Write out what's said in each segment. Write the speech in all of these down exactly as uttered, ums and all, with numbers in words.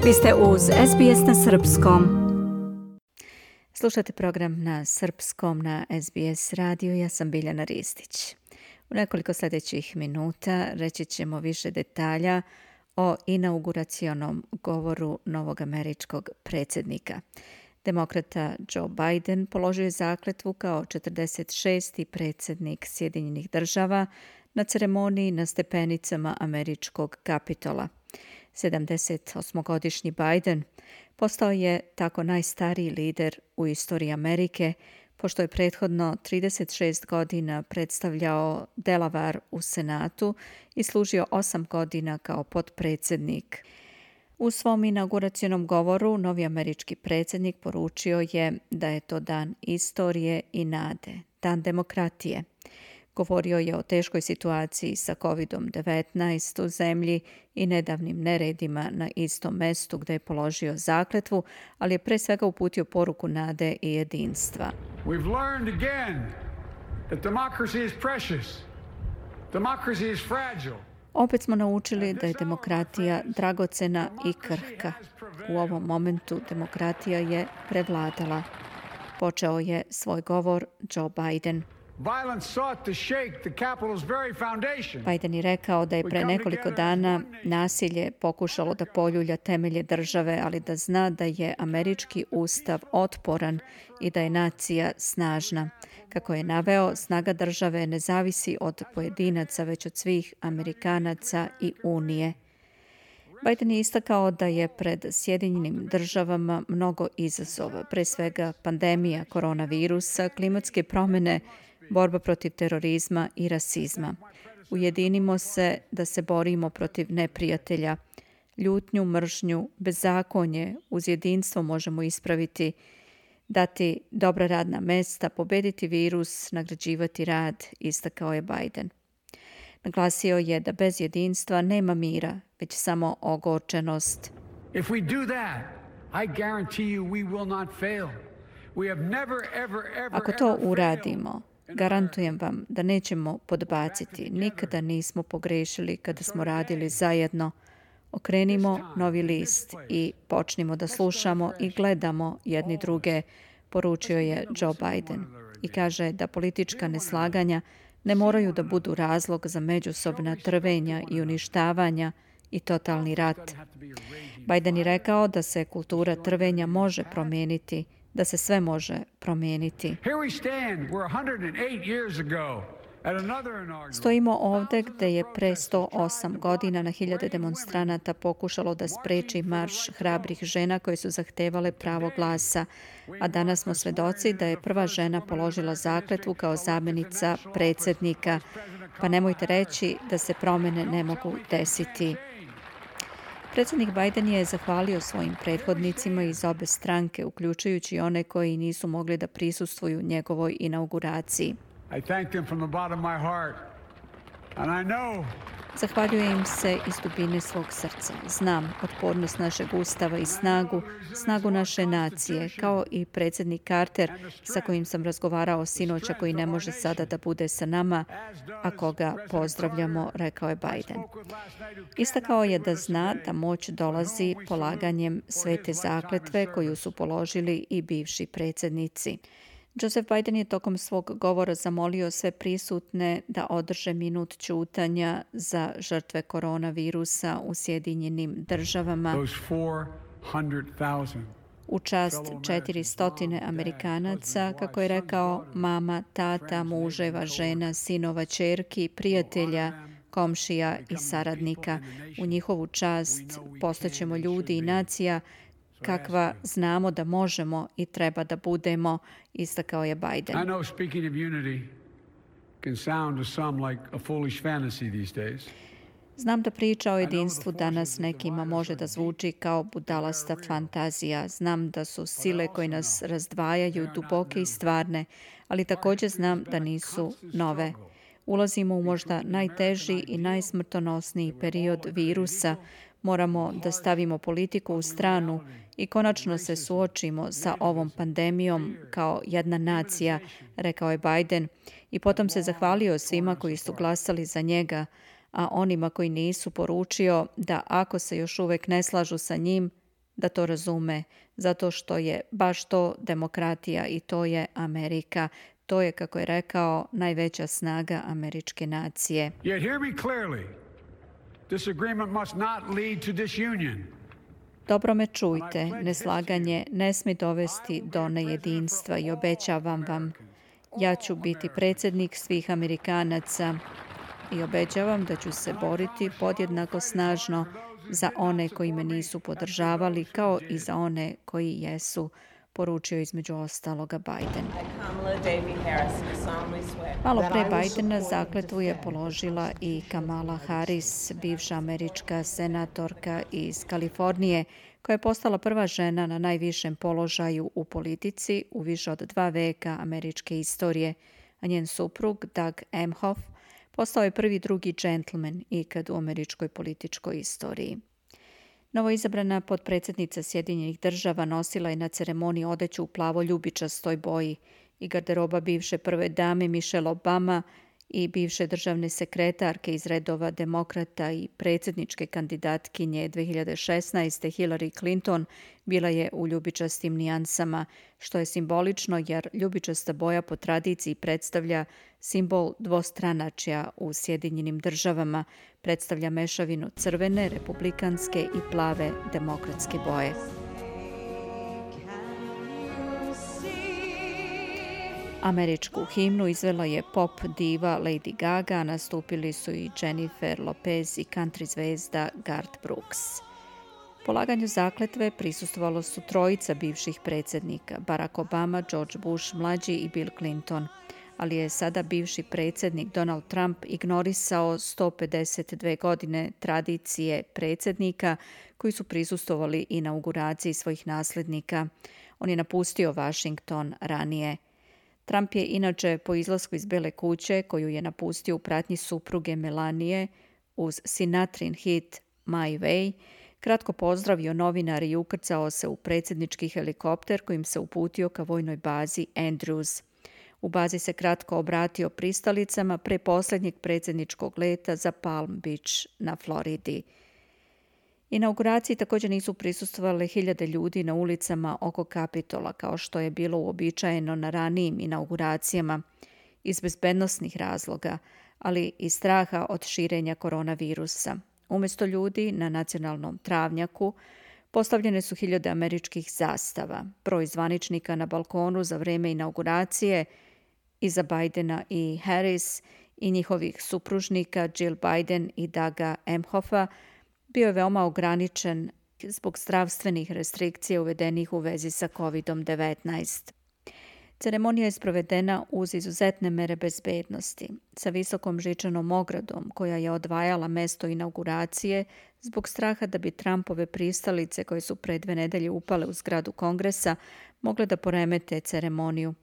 Vi ste uz S B S na srpskom. Slušate program na srpskom na S B S radiju. Ja sam Biljana Ristić. U nekoliko sljedećih minuta reći ćemo više detalja o inauguracionom govoru novog američkog predsjednika. Demokrata Joe Biden položio je zakletvu kao četrdeset šesti predsjednik Sjedinjenih država na ceremoniji na stepenicama američkog Kapitola. sedamdesetosmogodišnji Biden postao je tako najstariji lider u istoriji Amerike, pošto je prethodno trideset šest godina predstavljao Delaware u Senatu i služio osam godina kao potpredsjednik. U svom inauguracionom govoru novi američki predsjednik poručio je da je to dan istorije i nade, dan demokratije. Govorio je o teškoj situaciji sa kovid devetnaest u zemlji i nedavnim neredima na istom mestu gdje je položio zakletvu, ali je pre svega uputio poruku nade i jedinstva. We've learned again that democracy is precious. Democracy is fragile. Opet smo naučili da je demokratija dragocena i krhka. U ovom momentu demokratija je prevladala. Počeo je svoj govor Joe Biden. Biden je rekao da je pre nekoliko dana nasilje pokušalo da poljulja temelje države, ali da zna da je američki ustav otporan i da je nacija snažna. Kako je naveo, snaga države ne zavisi od pojedinaca, već od svih Amerikanaca i Unije. Biden je istakao da je pred Sjedinjenim državama mnogo izazova, pre svega pandemija koronavirusa, klimatske promjene, borba protiv terorizma i rasizma. Ujedinimo se da se borimo protiv neprijatelja. Ljutnju, mržnju, bezakonje uz jedinstvo možemo ispraviti, dati dobra radna mesta, pobediti virus, nagrađivati rad, istakao je Biden. Naglasio je da bez jedinstva nema mira, već samo ogorčenost. If we do that, I guarantee you we will not fail. We have never ever ever Ako to uradimo, garantujem vam da nećemo podbaciti. Nikada nismo pogrešili kada smo radili zajedno. Okrenimo novi list i počnimo da slušamo i gledamo jedni druge, poručio je Joe Biden. I kaže da politička neslaganja ne moraju da budu razlog za međusobna trvenja i uništavanja i totalni rat. Biden je rekao da se kultura trvenja može promijeniti, da se sve može promijeniti. Stojimo ovdje gdje je pre sto osam godina na hiljade demonstranata pokušalo da spreči marš hrabrih žena koje su zahtevale pravo glasa, a danas smo svedoci da je prva žena položila zakletvu kao zamjenica predsjednika, pa nemojte reći da se promjene ne mogu desiti. Predsjednik Biden je zahvalio svojim prethodnicima iz obe stranke, uključujući one koji nisu mogli da prisustvuju njegovoj inauguraciji. I thank them from the bottom of my heart. And I know Zahvaljujem im se iz dubine svog srca. Znam otpornost našeg ustava i snagu, snagu naše nacije, kao i predsjednik Carter sa kojim sam razgovarao sinoća, koji ne može sada da bude sa nama, a koga pozdravljamo, rekao je Biden. Istakao je da zna da moć dolazi polaganjem svete zakletve koju su položili i bivši predsjednici. Joseph Biden je tokom svog govora zamolio sve prisutne da održe minut ćutanja za žrtve koronavirusa u Sjedinjenim državama. U čast četiristo Amerikanaca, kako je rekao, mama, tata, muževa, žena, sinova, ćerki, prijatelja, komšija i saradnika. U njihovu čast postaćemo ljudi i nacija kakva znamo da možemo i treba da budemo, istakao je Biden. I know speaking of unity can sound to some like a foolish fantasy these days. Znam da priča o jedinstvu danas nekima može da zvuči kao budalasta fantazija. Znam da su sile koje nas razdvajaju duboke i stvarne, ali također znam da nisu nove. Ulazimo u možda najteži i najsmrtonosniji period virusa. Moramo da stavimo politiku u stranu i konačno se suočimo sa ovom pandemijom kao jedna nacija, rekao je Biden, i potom se zahvalio svima koji su glasali za njega, a onima koji nisu poručio da ako se još uvek ne slažu sa njim, da to razume, zato što je baš to demokratija i to je Amerika. To je, kako je rekao, najveća snaga američke nacije. Yet hear me clearly. This agreement must not lead to disunion. Dobro me čujte, neslaganje ne smije dovesti do nejedinstva i obećavam vam, ja ću biti predsjednik svih Amerikanaca i obećavam da ću se boriti podjednako snažno za one koji me nisu podržavali, kao i za one koji jesu, poručio između ostaloga Biden. Malo pre Bidena zakletvu je položila i Kamala Harris, bivša američka senatorka iz Kalifornije, koja je postala prva žena na najvišem položaju u politici u više od dva veka američke istorije, a njen suprug Doug Emhoff postao je prvi drugi džentlmen ikad u američkoj političkoj istoriji. Novoizabrana potpredsjednica Sjedinjenih država nosila je na ceremoniji odeću u plavo ljubičastoj boji i garderoba bivše prve dame Michelle Obama i bivše državne sekretarke iz redova demokrata i predsjedničke kandidatkinje dve hiljade šesnaeste. Hillary Clinton bila je u ljubičastim nijansama, što je simbolično jer ljubičasta boja po tradiciji predstavlja simbol dvostranačja u Sjedinjenim državama, predstavlja mešavinu crvene, republikanske i plave demokratske boje. Američku himnu izvela je pop diva Lady Gaga, a nastupili su i Jennifer Lopez i country zvezda Garth Brooks. Polaganju zakletve prisustvovalo su trojica bivših predsjednika, Barack Obama, George Bush mlađi i Bill Clinton, ali je sada bivši predsjednik Donald Trump ignorisao sto pedeset dve godine tradicije predsjednika koji su prisustvovali inauguraciji svojih nasljednika. On je napustio Washington ranije. Trump je inače po izlasku iz Bele kuće, koju je napustio u pratnji supruge Melanije uz Sinatrin hit My Way, kratko pozdravio novinare i ukrcao se u predsjednički helikopter kojim se uputio ka vojnoj bazi Andrews. U bazi se kratko obratio pristalicama pre posljednjeg predsjedničkog leta za Palm Beach na Floridi. Inauguraciji također nisu prisustvovale hiljade ljudi na ulicama oko Kapitola, kao što je bilo uobičajeno na ranijim inauguracijama, iz bezbednosnih razloga, ali i straha od širenja koronavirusa. Umjesto ljudi na nacionalnom travnjaku postavljene su hiljade američkih zastava. Broj zvaničnika na balkonu za vrijeme inauguracije iza Bidena i Harris i njihovih supružnika Jill Biden i Douga Emhoffa bio je veoma ograničen zbog zdravstvenih restrikcija uvedenih u vezi sa kovid devetnaest. Ceremonija je sprovedena uz izuzetne mere bezbednosti, sa visokom žičanom ogradom koja je odvajala mesto inauguracije zbog straha da bi Trumpove pristalice koje su pre dve nedelje upale u zgradu Kongresa mogle da poremete ceremoniju.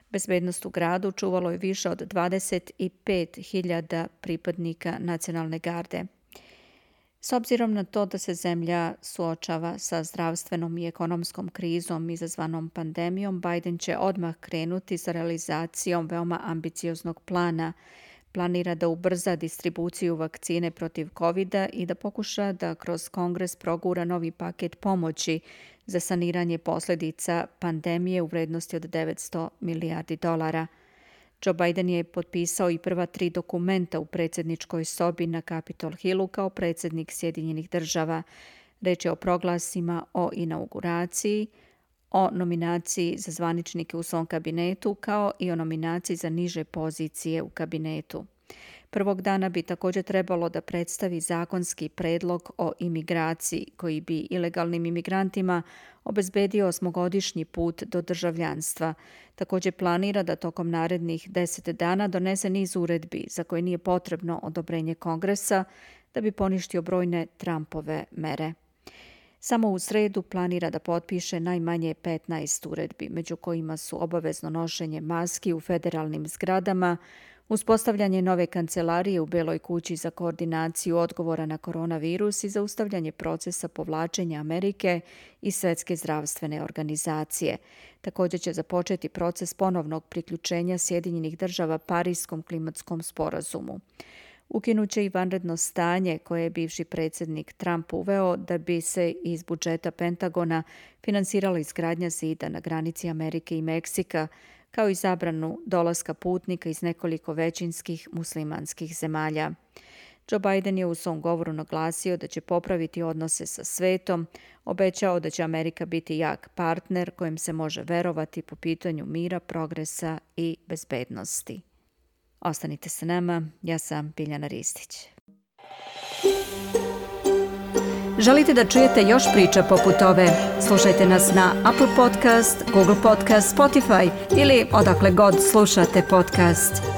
Bezbednost u gradu čuvalo je više od dvadeset pet hiljada pripadnika nacionalne garde. S obzirom na to da se zemlja suočava sa zdravstvenom i ekonomskom krizom izazvanom pandemijom, Biden će odmah krenuti sa realizacijom veoma ambicioznog plana. Planira da ubrza distribuciju vakcine protiv kovida i da pokuša da kroz Kongres progura novi paket pomoći za saniranje posljedica pandemije u vrednosti od devetsto milijardi dolara. Joe Biden je potpisao i prva tri dokumenta u predsjedničkoj sobi na Capitol Hillu kao predsjednik Sjedinjenih država. Reč je o proglasima o inauguraciji, o nominaciji za zvaničnike u svom kabinetu, kao i o nominaciji za niže pozicije u kabinetu. Prvog dana bi također trebalo da predstavi zakonski predlog o imigraciji koji bi ilegalnim imigrantima obezbedio osmogodišnji put do državljanstva. Također planira da tokom narednih deset dana donese niz uredbi za koje nije potrebno odobrenje Kongresa da bi poništio brojne Trumpove mere. Samo u sredu planira da potpiše najmanje petnaest uredbi, među kojima su obavezno nošenje maski u federalnim zgradama, uspostavljanje nove kancelarije u Beloj kući za koordinaciju odgovora na koronavirus i zaustavljanje procesa povlačenja Amerike i Svjetske zdravstvene organizacije. Također će započeti proces ponovnog priključenja Sjedinjenih država Parijskom klimatskom sporazumu. Ukinuće i vanredno stanje koje je bivši predsjednik Trump uveo da bi se iz budžeta Pentagona finansirala izgradnja zida na granici Amerike i Meksika, kao i zabranu dolaska putnika iz nekoliko većinskih muslimanskih zemalja. Joe Biden je u svom govoru naglasio da će popraviti odnose sa svetom, obećao da će Amerika biti jak partner kojem se može verovati po pitanju mira, progresa i bezbednosti. Ostanite sa nama, ja sam Biljana Ristić. Želite da čujete još priča poput ove? Slušajte nas na Apple Podcast, Google Podcast, Spotify ili odakle god slušate podcast.